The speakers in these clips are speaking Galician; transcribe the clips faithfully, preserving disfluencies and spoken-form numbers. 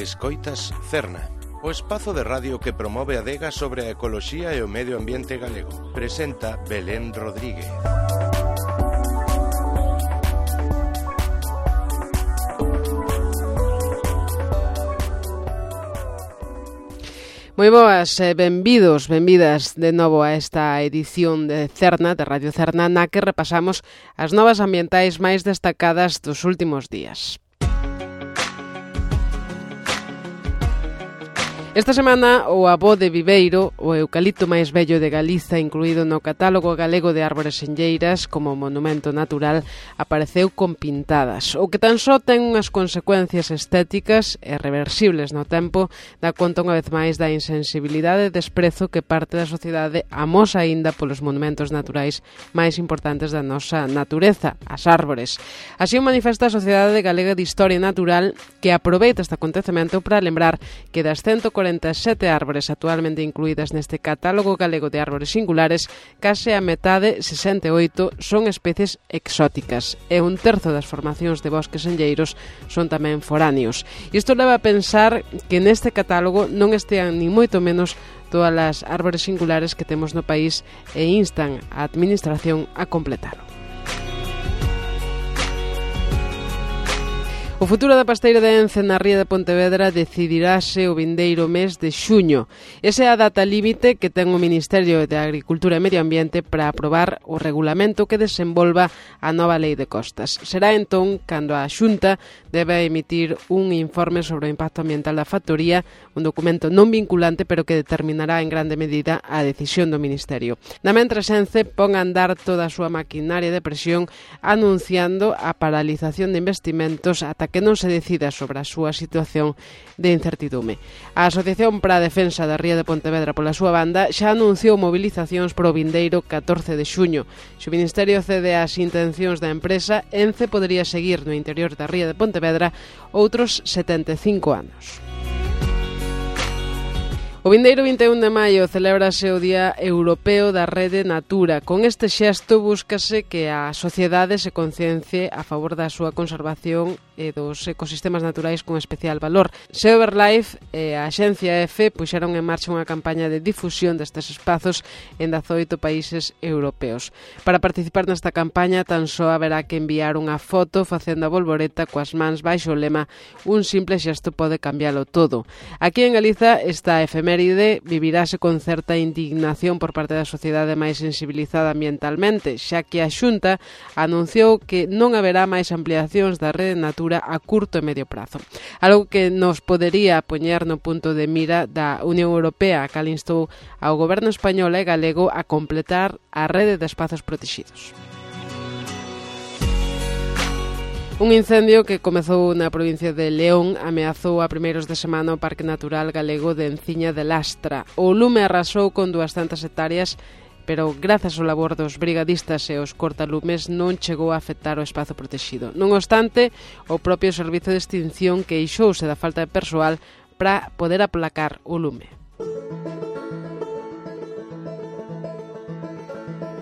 Escoitas Cerna, o espazo de radio que promove a adega sobre a ecoloxía e o medio ambiente galego. Presenta Belén Rodríguez. Moi boas, eh, benvidos, benvidas de novo a esta edición de Cerna, de Radio Cerna, na que repasamos as novas ambientais máis destacadas dos últimos días. Esta semana, o abo de Viveiro, o eucalipto máis vello de Galiza, incluído no catálogo galego de árbores enlleiras como monumento natural, apareceu con pintadas, o que tan só ten unhas consecuencias estéticas e reversibles no tempo, dá conta unha vez máis da insensibilidade e desprezo que parte da sociedade amosa aínda polos monumentos naturais máis importantes da nosa natureza, as árbores. Así o manifesta a Sociedade Galega de Historia Natural, que aproveita este acontecemento para lembrar que das ciento cuarenta e sete árbores actualmente incluídas neste catálogo galego de árbores singulares, case a metade, sesenta e oito, son especies exóticas e un terzo das formacións de bosques enlleiros son tamén foráneos. Isto leva a pensar que neste catálogo non estean ni moito menos todas as árbores singulares que temos no país e instan a administración a completalo. O futuro da pasteira de Ence na ría de Pontevedra decidirase o vindeiro mes de xuño. Esa é a data límite que ten o Ministerio de Agricultura e Medio Ambiente para aprobar o regulamento que desenvolva a nova lei de costas. Será entón cando a Xunta debe emitir un informe sobre o impacto ambiental da factoría, un documento non vinculante pero que determinará en grande medida a decisión do Ministerio. Na mentres, Ence pon a andar toda a súa maquinaria de presión anunciando a paralización de investimentos ata que non se decida sobre a súa situación de incertidume. A Asociación para a Defensa da Ría de Pontevedra, pola súa banda, xa anunciou movilizacións pro vindeiro catorce de xuño. Se o Ministerio cede ás intencións da empresa, Ence podería seguir no interior da Ría de Pontevedra outros setenta e cinco anos. O vindeiro vinte e un de maio celébrase o Día Europeo da Rede Natura. Con este xesto búscase que a sociedade se conciencie a favor da súa conservación e dos ecosistemas naturais con especial valor. Seoverlife e a Axencia F puxeron en marcha unha campaña de difusión destes espazos en dezaoito países europeos. Para participar nesta campaña tan só haberá que enviar unha foto facendo a bolboreta coas mans baixo o lema "Un simple xesto pode cambialo todo". Aquí en Galiza esta efeméride vivirase con certa indignación por parte da sociedade máis sensibilizada ambientalmente, xa que a Xunta anunciou que non haberá máis ampliacións da rede natura a curto e medio prazo. Algo que nos podería poñer no punto de mira da Unión Europea, a cal instou ao goberno español e galego a completar a rede de espazos protegidos. Un incendio que comezou na provincia de León ameazou a primeiros de semana o Parque Natural Galego de Enciña de Lastra. O lume arrasou con duascentas hectáreas, pero grazas ao labor dos brigadistas e os cortalumes non chegou a afectar o espazo protegido. Non obstante, o propio servizo de extinción queixouse da falta de persoal para poder aplacar o lume.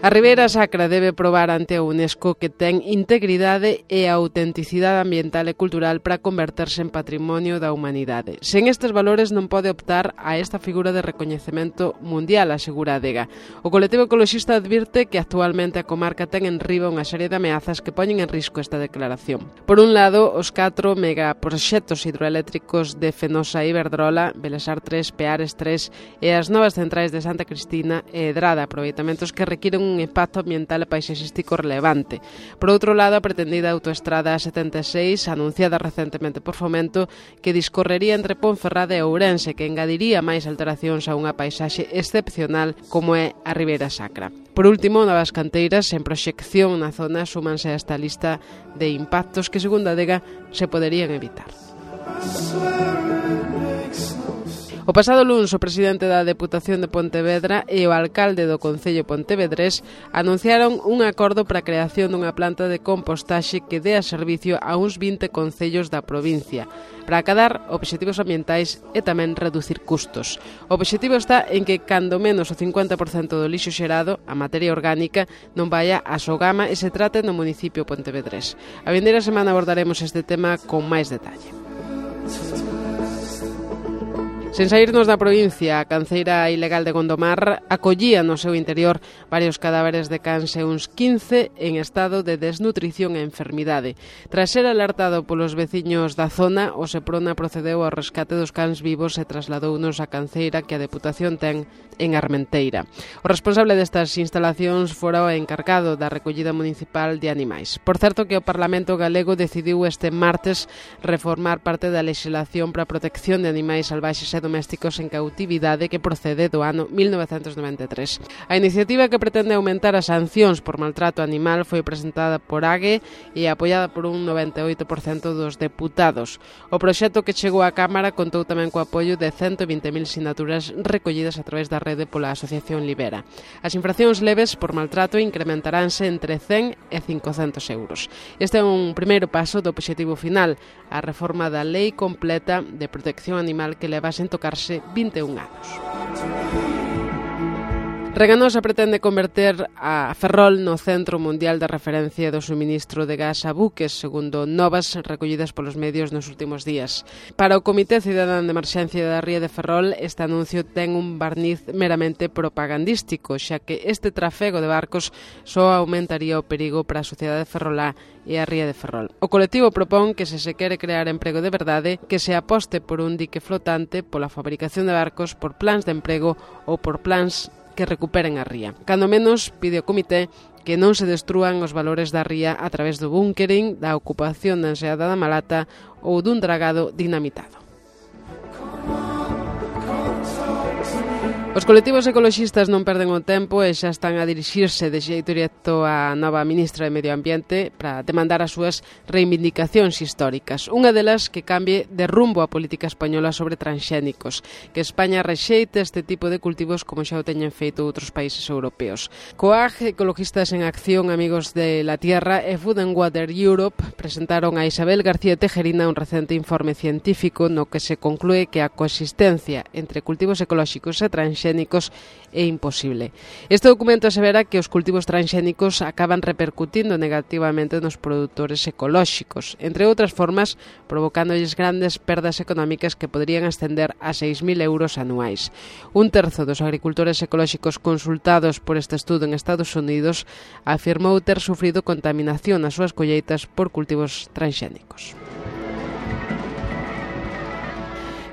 A Ribeira Sacra debe probar ante a UNESCO que ten integridade e autenticidade ambiental e cultural para converterse en patrimonio da humanidade. Sen estes valores non pode optar a esta figura de recoñecemento mundial, asegura a adega. O colectivo ecoloxista advirte que actualmente a comarca ten en riba unha serie de ameazas que poñen en risco esta declaración. Por un lado, os catro megaproxectos hidroeléctricos de Fenosa e Iberdrola, Belesar tres, Peares tres e as novas centrais de Santa Cristina e Edrada, aproveitamentos que requiren un impacto ambiental e paisaxístico relevante. Por outro lado, a pretendida autoestrada setenta e seis, anunciada recentemente por Fomento, que discorrería entre Ponferrada e Ourense, que engadiría máis alteracións a unha paisaxe excepcional como é a Ribeira Sacra. Por último, novas canteiras en proxección na zona súmanse a esta lista de impactos que, segundo a adega, se poderían evitar. O pasado luns, o presidente da Deputación de Pontevedra e o alcalde do Concello pontevedrés anunciaron un acordo para a creación dunha planta de compostaxe que dea servicio a uns vinte concellos da provincia, para acadar obxectivos ambientais e tamén reducir custos. O obxectivo está en que, cando menos o cincuenta por cento do lixo xerado, a materia orgánica, non vaya a Sogama e se trate no municipio pontevedrés. A vindeira semana abordaremos este tema con máis detalle. Sen saírnos da provincia, a canceira ilegal de Gondomar acollía no seu interior varios cadáveres de cans e uns quince en estado de desnutrición e enfermidade. Tras ser alertado polos veciños da zona, o Seprona procedeu ao rescate dos cans vivos e trasladounos á canceira que a Deputación ten en Armenteira. O responsable destas instalacións fora o encargado da recollida municipal de animais. Por certo que o Parlamento galego decidiu este martes reformar parte da legislación para a protección de animais salvaxes e domésticos en cautividade que procede do ano mil novecentos noventa e tres. A iniciativa que pretende aumentar as sancións por maltrato animal foi presentada por A G E e apoiada por un noventa e oito por cento dos deputados. O proxecto que chegou á Cámara contou tamén co apoio de ciento vinte mil sinaturas recollidas a través da rede pola Asociación Libera. As infraccións leves por maltrato incrementaránse entre cen e cincocentos euros. Este é un primeiro paso do obxectivo final, a reforma da Lei Completa de Protección Animal que leva sen tocarse vinte e un anos. Reganosa pretende converter a Ferrol no centro mundial de referencia do suministro de gas a buques, segundo novas recollidas polos medios nos últimos días. Para o Comité Cidadán de Emerxencia da Ría de Ferrol, este anuncio ten un barniz meramente propagandístico, xa que este trafego de barcos só aumentaría o perigo para a sociedade ferrolá e a Ría de Ferrol. O colectivo propón que se se quere crear emprego de verdade, que se aposte por un dique flotante, pola fabricación de barcos, por plans de emprego ou por plans que recuperen a ría. Cando menos, pide o comité que non se destrúan os valores da ría a través do búnkering, da ocupación da enseada da Malata ou dun dragado dinamitado. Os colectivos ecoloxistas non perden o tempo e xa están a dirixirse de xeito directo á nova ministra de Medio Ambiente para demandar as súas reivindicacións históricas. Unha delas que cambie de rumbo a política española sobre transxénicos, que España rexeite este tipo de cultivos como xa o teñen feito outros países europeos. COAG, Ecologistas en Acción, Amigos de la Tierra e Food and Water Europe presentaron a Isabel García Tejerina un recente informe científico no que se conclúe que a coexistencia entre cultivos ecolóxicos e transxénicos é imposible. Este documento asevera que os cultivos transxénicos acaban repercutindo negativamente nos produtores ecolóxicos, entre outras formas, provocándoles grandes perdas económicas que poderían ascender a seis mil euros anuais. Un terzo dos agricultores ecolóxicos consultados por este estudo en Estados Unidos afirmou ter sufrido contaminación nas súas colleitas por cultivos transxénicos.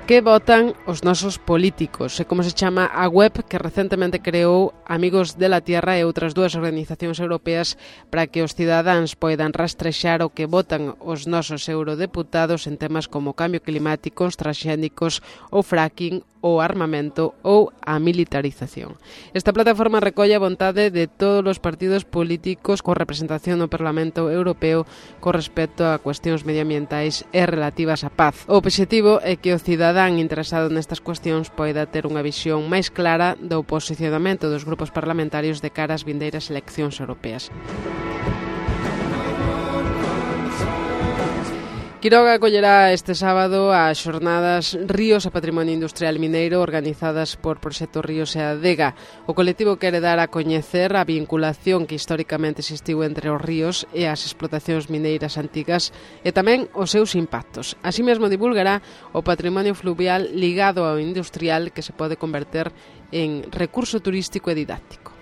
Que votan os nosos políticos? É como se chama a web que recentemente creou Amigos de la Tierra e outras dúas organizacións europeas para que os cidadáns poidan rastrexar o que votan os nosos eurodeputados en temas como cambio climático, os transxénicos, o fracking, o armamento ou a militarización. Esta plataforma recolle a vontade de todos os partidos políticos con representación no Parlamento Europeo con respecto a cuestións medioambientais e relativas á paz. O obxectivo é que o cidadán interesado nestas cuestións poida ter unha visión máis clara do posicionamento dos grupos parlamentarios de cara ás vindeiras eleccións europeas. Quiroga acollerá este sábado as xornadas Ríos e Patrimonio Industrial Mineiro organizadas por Proxecto Ríos e Adega. O colectivo quere dar a coñecer a vinculación que históricamente existiu entre os ríos e as explotacións mineiras antigas e tamén os seus impactos. Así mesmo divulgará o patrimonio fluvial ligado ao industrial que se pode converter en recurso turístico e didáctico.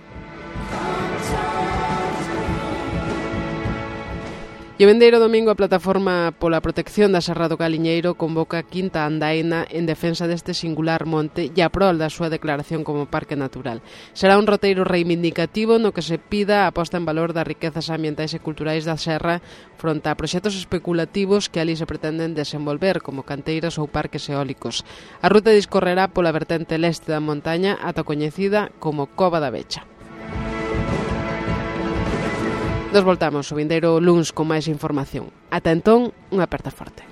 E o vendeiro domingo a Plataforma pola Protección da Serra do Galiñeiro convoca a quinta andaina en defensa deste singular monte e a prol da súa declaración como parque natural. Será un roteiro reivindicativo no que se pida a posta en valor das riquezas ambientais e culturais da serra fronte a proxectos especulativos que ali se pretenden desenvolver como canteiras ou parques eólicos. A ruta discorrerá pola vertente leste da montaña ata coñecida como Cova da Vecha. Nos voltamos o vindeiro luns con máis información. Ata entón, unha aperta forte.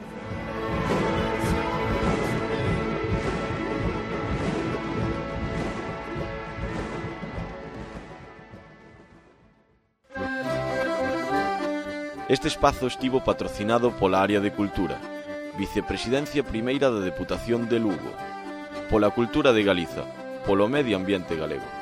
Este espazo estivo patrocinado pola Área de Cultura, Vicepresidencia Primeira da Deputación de Lugo, pola Cultura de Galiza, polo Medio Ambiente Galego.